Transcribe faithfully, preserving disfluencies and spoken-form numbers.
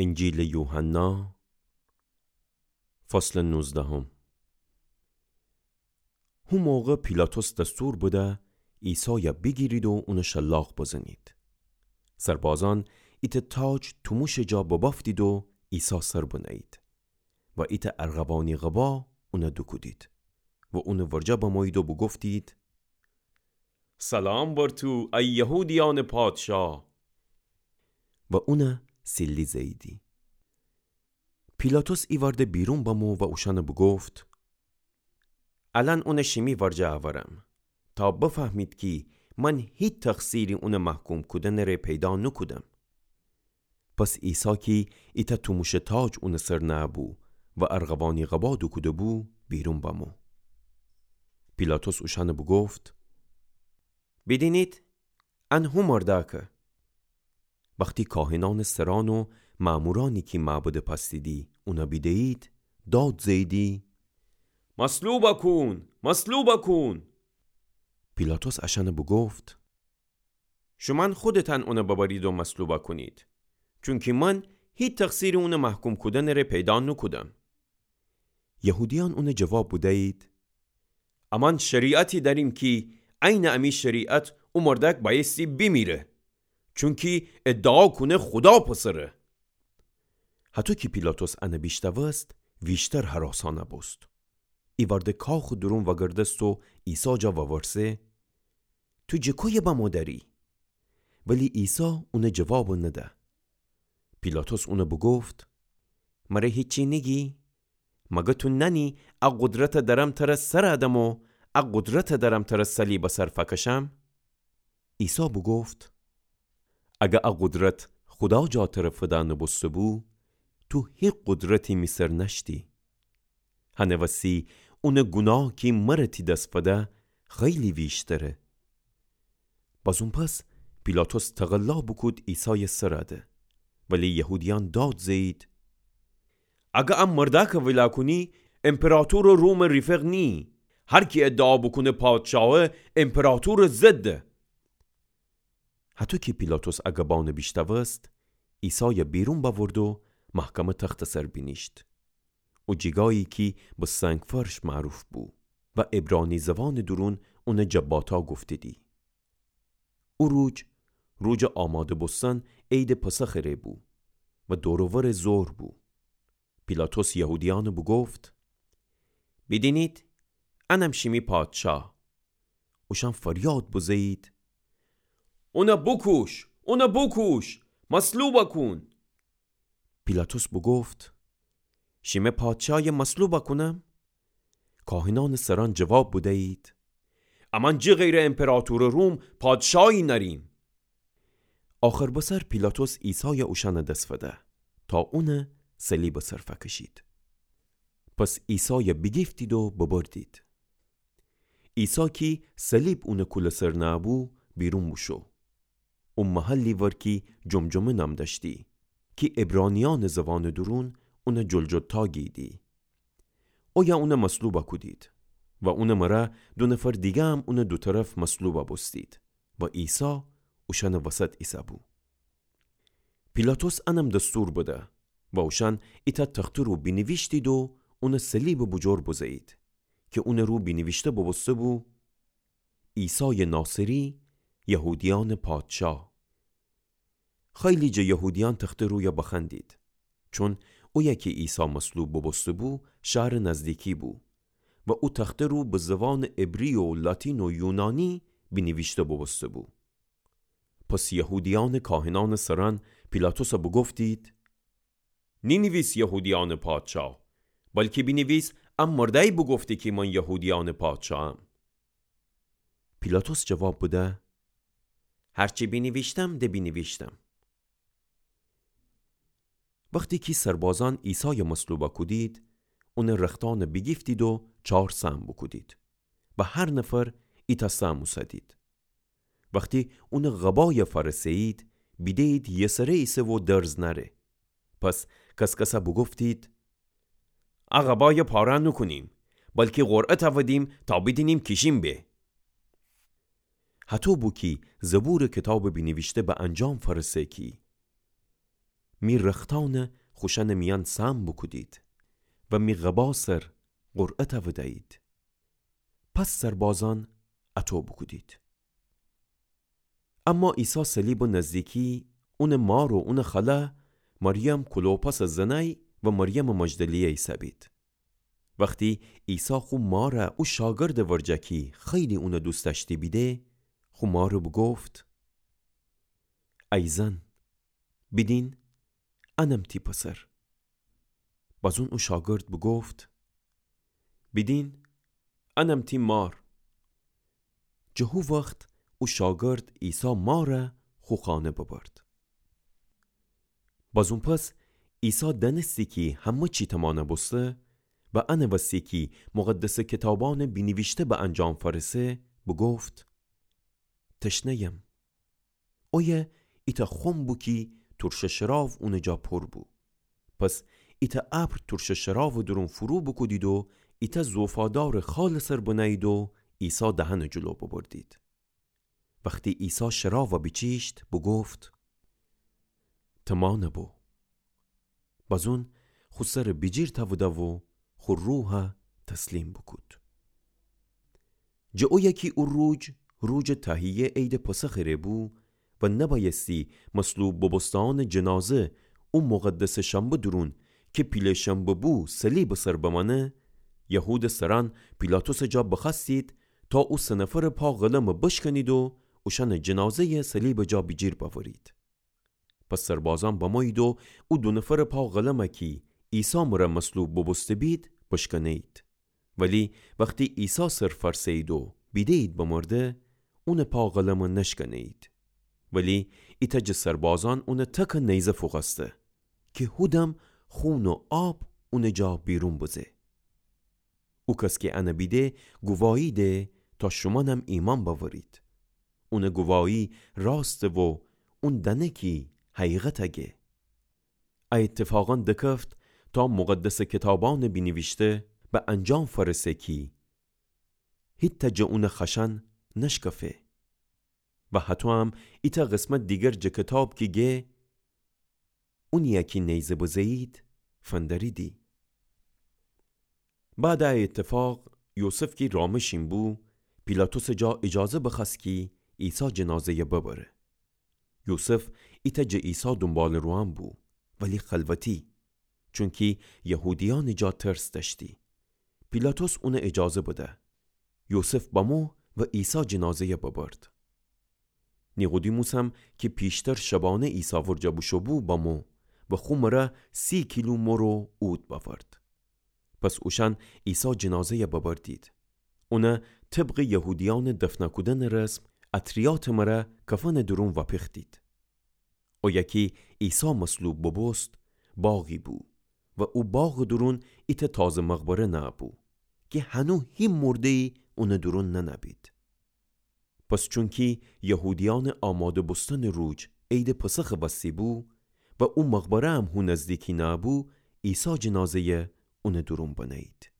انجیلٚ یوحنا، فصلٚ نوزدهم. هو موقع پیلاطس دستور بده عیسای بیگیرید و اونٚ شلاق بزنید. سربازأن ایتأ تاج توموشٚ جا ببأفتید و عیسی سر بنهیید و ایتأ ارغوانی قبا اون دوکودید و اونٚ ورجه بمویید و بوگفتید: سلام بر تو، ای یهودیأنٚ پادشا! و اون سیلی زهییدی. پیلاطس ایوأرده بیرون بمو و اوشأن بوگفت: الأن اون شیمی ورجه اورم، تا بفهمید کی من هیچ تقصیری اونٚ محکوم کودنٚ ره پیدا نوکودم. پس عیسی کی ایتأ توموشٚ تاج اونٚ سر نههبو و ارغوانی قبا دوکودهبو، بیرون بمو. پیلاطس اوشأن بوگفت: بیدینید، ان هو مردأکه. وختی کاهنأنٚ سرأن و مأمورأنی کی معبدٚ پأستیدی اون بیدهیید، داد زهییدی: مصلوب کون! مصلوب کون! پیلاطس اشأن بوگفت: شومأن خودتأن اون ببرید و مصلوب کونید، چونکی من هیچ تقصیری اونٚ محکوم کودنٚ ره پیدا نوکودم. یهودیأن اون جواب بدهیید: امأن شریعتی دأریم کی عینٚ امی شریعت او مردأک بأیستی بیمیره، چونکی ادعا کونه خودا پسره. هطو کی پیلاطس ان بیشنوست، ویشتر هراسأن بوست. ایوأرده کاخٚ دورون وأگردست و عیسی جا وورسه: تو جٚه کویه بمو دأری؟ ولی عیسی اون جواب نده. پیلاطس اون بوگفت: مره هیچی نیگی؟ مگه تو نأنی ا قدرت دأرم تر سر دم و ا قدرت دأرم تر صلیب سر فکشم؟ عیسی بوگفت: اگر ا قدرت خودا جا تر فدأ نوبوستهبو، تو هیچ قدرتی می سر نأشتی. هنٚ وسی اونٚ گوناه کی مر تی دس فده خیلی ویشتره. بازون پس پیلاطس تقلا بوکود عیسایٚ سر ده. ولی یهودیأن داد زهیید: اگر ا مردأک ویلا کونی، امپراطورٚ رومٚ ریفق نییی. هر کی ادعا بوکونه پادشاهه، امپراطورٚ ضده. هطو کی پیلاطس ا گبأن بیشنوست، عیسای بیرون بأورد و محکمه تختٚ سر بینیشت. او جیگایی کی به سنگ‌فرش معروف بو و عبرانی زوانٚ دورون اون جباتا گفتیدی. او روج، روجٚ آماده بوستن، عیدٚ پسخٚ ره بو و دور و ورٚ ظهر بو. پیلاطس یهودیأن بوگفت: بیدینید، انم شیمی پادشاه. اوشأن فریاد بزهیید: اون بوکوش! اون بوکوش! مصلوب کون! پیلاطس بوگفت: شیمه پادشای مصلوب کونم؟ کاهنأنٚ سرأن جواب بدیید: امأن جٚه غیرٚ امپراطورٚ روم پادشایی نأریم. آخر بسر پیلاطس عیسای اوشأنٚ دس فده تا اون صلیبٚ سر فکشید. پس عیسای بیگیفتید و ببردید. عیسی کی صلیب اونٚ کولٚ سر نههبو، بیرون بوشو. او محلی ور کی جمجمه نام دأشتی، کی عبرانیأنٚ زوانٚ دورون اون جلجلتا گییدی. اویه اون مصلوب کودید و اونٚ مره دو نفر دیگه هم اونٚ دو طرف مصلوب بوستید و عیسی اوشأنٚ وسط ایسهبو. پیلاطس انم دستور بده و اوشأن ایتأ تخته رو بینیویشتید و اونٚ صلیبٚ بوجور بزهیید کی اونٚ رو بینیویشته بوبوستهبو: عیسای ناصری، یهودیأنٚ پادشاه. خیلی جٚه یهودیأن تخته رویه بخوأندید، چون اویه کی عیسی مصلوب بوبوستهبو شهرٚ نزدیکی بو و او تخته رو به زوانٚ عبری و لاتین و یونانی بینیویشته بوبوستهبو. پس یهودیأنٚ کاهنأنٚ سرأن پیلاطس بوگفتید: نینیویس یهودیأنٚ پادشاه، بلکی بینیویس ا مردأی بوگفته کی من یهودیأنٚ پادشاهم. پیلاطس جواب بده: هرچی بینیویشتم، ده بینیویشتم. وختی کی سربازأن عیسای مصلوب کودید، اونٚ رختأن بیگیفتید و چار سهم بوکودید و هر نفر ایتأ سهم اوسدید. وختی اونٚ قبای فأرسهیید، بیدهیید یه سره ایسه و درز نأره. پس کس‌کس بوگفتید: ا قبای پاره نوکونیم، بلکی قرعه تأودیم تا بیدینیم کیشین به. هطو بو کی زبورٚ کتابٚ بینیویشته به انجام فأرسه کی: می رختأنَ خوشأنٚ میأن سهم بوکودید و می قبا سر قرعه تأوده‌یید. پس سربازأن اَطو بوکودید. اما عیسی صلیبٚ نزدیکی، اونٚ مار و اونٚ خاله، مریم کلوپاسٚ زنأی و مریمٚ مجدلیه ایسه‌بید. وختی عیسی خو مارَ او شاگردٚ ورجه کی خیلی اونَ دوست دأشتی بیده، خو مارَ بوگفت: ای زن، بیدین، انم تی پسر. بازون او شاگرد بوگفت: بیدین، انم تی مار. جٚه هو وخت او شاگرد عیسی مارَ خو خانه ببرد. بازون پس عیسی دأنستی کی همه چی تمانَ بوسته و انٚ وسی کی مقدسٚ کیتابأنٚ بینیویشته به انجام فأرسه، بوگفت: تشنه‌یم. اویه ایتأ خم بو کی تورشٚ شراب اونٚ جا پور بو. پس ایتأ ابر تورشٚ شرابٚ دورون فرو بوکودید و ایتأ زوفادارٚ خالٚ سر بنه‌یید و عیسی دهنٚ جلو ببردید. وختی عیسی شرابَ بیچیشت، بوگفت: تمانَ بو. بازون خو سرَ بیجیر تأوده و خو روحَ تسلیم بوکود. جٚه اویه کی او روج، روجٚ تهیه عیدٚ پسخٚ ره بو و نبأیستی مصلوب بوبوسته‌یأنٚ جنازه او مقدسٚ شنبه دورون کی پیله شنبه بو صلیبٚ سر بمأنه، یهودٚ سرأن پیلاطسٚ جا بخوأستید تا او سه نفرٚ پا قلمَ بشکنید و اوشأنٚ جنازه‌یَ صلیبٚ جا بیجیر بأورید. پس سربازأن بمویید و او دو نفرٚ پا قلمَ کی عیسی مره مصلوب بوبوسته بید، بشکنه‌یید. ولی وختی عیسی سر فأرسه‌یید و بیده‌یید بمرده، اونٚ پا قلمَ نشکنه‌یید. ولی ایتأ جٚه سربازأن اونٚ تکَ نیزه فوقأسته کی هودم خون و آب اونٚ جا بیرون بزه. او کس کی انَ بیده گوواهی ده تا شومأنم ایمأن بأورید. اونٚ گوواهی راسته و اون دأنه کی حقیقتَ گه. ا ایتفاقأن دکفت تا مقدسٚ کیتابأنٚ بینیویشته به انجام فأرسه کی هیتأ جٚه اونٚ خأشأن نشکفه. و هطویم ایتأ قسمت دیگر جٚه کیتاب کی گه اونی‌یَ کی نیزه بزه‌یید فندریدی. بعدٚ ا ایتفاق یوسف کی رامه‌شین بو، پیلاطسٚ جا ایجازه بخوأست کی عیسی جنازه‌یَ ببره. یوسف ایتأ جٚه عیسی دونباله‌روأن بو، ولی خلوتی، چونکی یهودیأنٚ جا ترس دأشتی. پیلاطس اونَ ایجازه بده. یوسف بمو و عیسی جنازه‌یَ ببرد. نیقودیموسم کی پیشتر شبانه عیسی ورجه بوشو بو بمو و خو مره سی کیلو مر و عود بأورد. پس اوشأن عیسی جنازه‌یَ ببردید. اونَ طبقٚ یهودیأنٚ دفنَ کودنٚ رسم اطریاتٚ مره کفنٚ دورون وأپیختید. اویه کی عیسی مصلوب بوبوست باغی بو و او باغٚ دورون ایتأ تازه مقبره نه‌بو کی هنو هی مرده‌یی اونٚ دورون ننه‌بید. پس چونکی یهودیأنٚ آماده بوستنٚ روج عیدٚ پسخٚ وستی بو و او مقبره‌یم هو نزدیکی نه‌بو، عیسی جنازه‌یَ اونٚ دورون بنه‌یید.